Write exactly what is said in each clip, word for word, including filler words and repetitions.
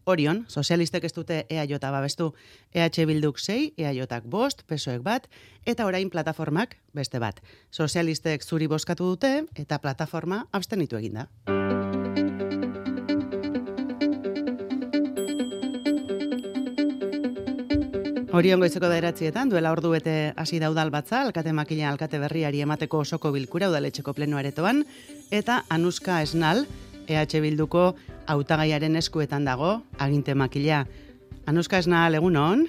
Orion, sozialistek ez dute E A J babestu, E H Bilduk sei, E A Jak bost, P S O ek bat, eta orain plataformak beste bat. Sozialistek zuri bozkatu dute, eta plataforma abstenitu eginda. Orion goizeko bederatzietan, duela ordu bete hasi da udalbatza, alkate makila alkate berriari emateko osoko bilkura udaletxeko pleno aretoan, eta Anuska Esnal, E H Bilduko hautagaiaren eskuetan dago, aginte makila. Anuska Esnal, egunon?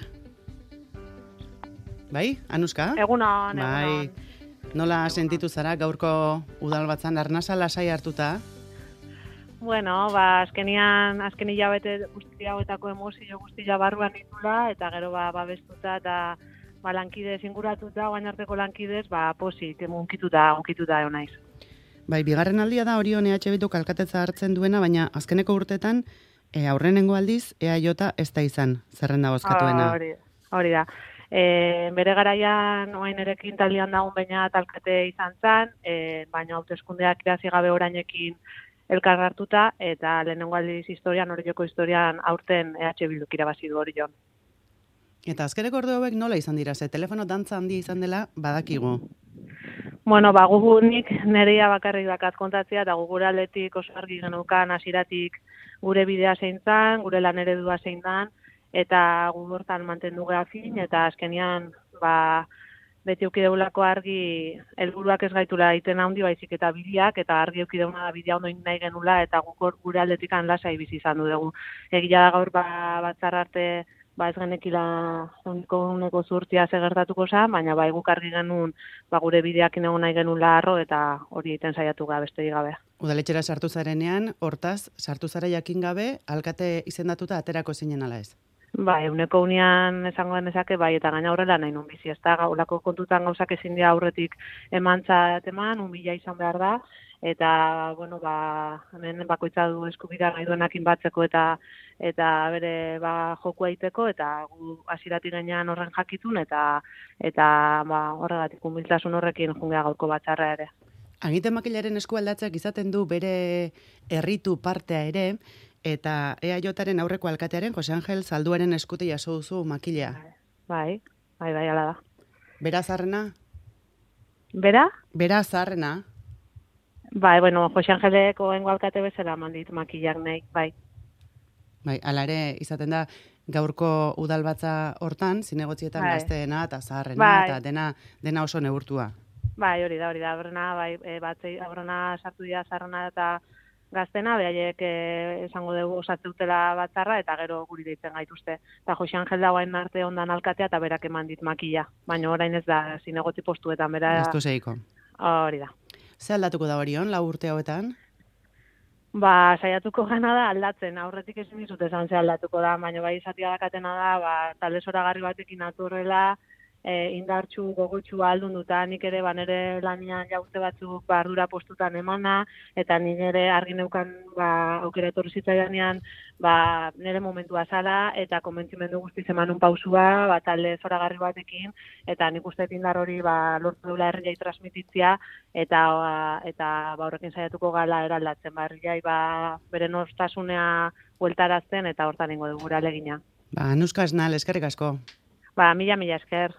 Bai, Anuska? Egunon, bai. egunon. Nola sentitu zara gaurko udalbatzan arnasa lasai hartuta? Bueno, ba, azkenian, azken hilabete guzti hauetako emozio guztia barruan ditula, eta gero ba, babestuta eta ba, lankidez inguratuta, guain arteko lankidez, ba, posik, unkituta, unkituta egon naiz. Bai, bigarren aldia da Orion E H Bilduk alkatetza hartzen duena, baina azkeneko urtetan e, aurrenengo aldiz E A J ez da izan, zerrenda bozkatuena. Hori, hori da. E, bere garaian, oain erekin taldean dagoen baina alkate izan zen, e, baina hauteskundeak irazi gabe orainekin elkar hartuta, eta lehenengo aldiz historian, Orioko historian aurten E H Bilduk irabazi du Orion. Eta azkeneko ordu hauek nola izan dira, ze telefono dantza handia izan dela badakigu. Bueno, ba, gugunik nerea bakarrik dakat kontatzea, eta gugura aldetik oso argi genukan hasiratik gure bidea zein zan, gure lan eredua zein dan, eta gu hortan mantendu geha fin, eta azkenian, ba, beti eukideulako argi helburuak ez gaitula egiten handi baizik eta bideak, eta argi eukideuna da bidea ondo nahi genula, eta guk gure aldetikan lasai bizi izan du dugu. Egia da gaur ba, batzar arte ba ez genekila uniko uneko zurtia segertatuko zen, baina ba guk argi genuen ba gure bideakin egon nahi genula arro, eta hori egiten saiatu ga besterik gabe. Udaletxera sartu zarenean, hortaz, sartu zara jakin gabe, alkate izendatuta aterako zinen ala ez? Bai, uneko unian esango genezake, bai, eta gaina horrela nahi nun bizi, ez da, gaulako kontutan gauzak ezin dira aurretik emantzat eman, unbila izan behar da, eta, bueno, ba, hemen bakoitza du eskubira nahi duenakin batzeko eta eta bere ba, joku egiteko, eta gu hasiratik gainean horren jakitun, eta eta ba, horregatik humiltasun horrekin jungea gaurko batzarra ere. Aginte makilaren eskualdatzeak izaten du bere herritu partea ere, eta E A Jaren aurreko alkatearen, Jose Angel Zalduaren eskute jaso duzu makilea. Bai, bai, bai, ala da. Bera zarrena? Bera? Bera zarrena? Bai, bueno, Jose Angeleko engo alkate bezala mandit makilak nahi, bai. Bai, ala ere izaten da gaurko udalbatza hortan, zinegotzietan bai. Gazteena eta zaharrena, bai. eta dena, dena oso neurtua. Bai, hori da, hori da, aurrena, bai, e, batzei, aurrena sartu dira zaharrena eta Gaztena, behaiek eh, esango dugu osatzeutela batzarra, eta gero guri deitzen gaituzte. Eta Jose Angel dagoen arte ondan alkatea, eta berak eman dit makila. Baina orain ez da, zinegotzi postuetan, bera... Ez du zeiko. Hori da. Ze aldatuko da Orion, lau urte hauetan? Ba, saiatuko gana da aldatzen, aurretik ezin dizut esan ze aldatuko da, baina bai izatia dakatena da, ba, talde zoragarri batekin aturrela, e, indartxu gogotxu aldun duta, nik ere ba, nire lanian jaurte batzuk ba, ardura postutan emana, eta nik ere argi neukan ba, aukera etorri zitzaidanean ba, nire momentua zala, eta konbentzimendu guztiz emanun pausua, ba, talde zoragarri batekin, eta nik uste indar hori ba, lortu dula herriai transmititzia, eta ba, eta ba, horrekin saiatuko gala eraldatzen, ba, herriai ba, bere nostasunea bueltarazten, eta hortan ingo dugu alegina. Ba, Anuska Esnal, eskerrik asko. Ba, mila, mila esker.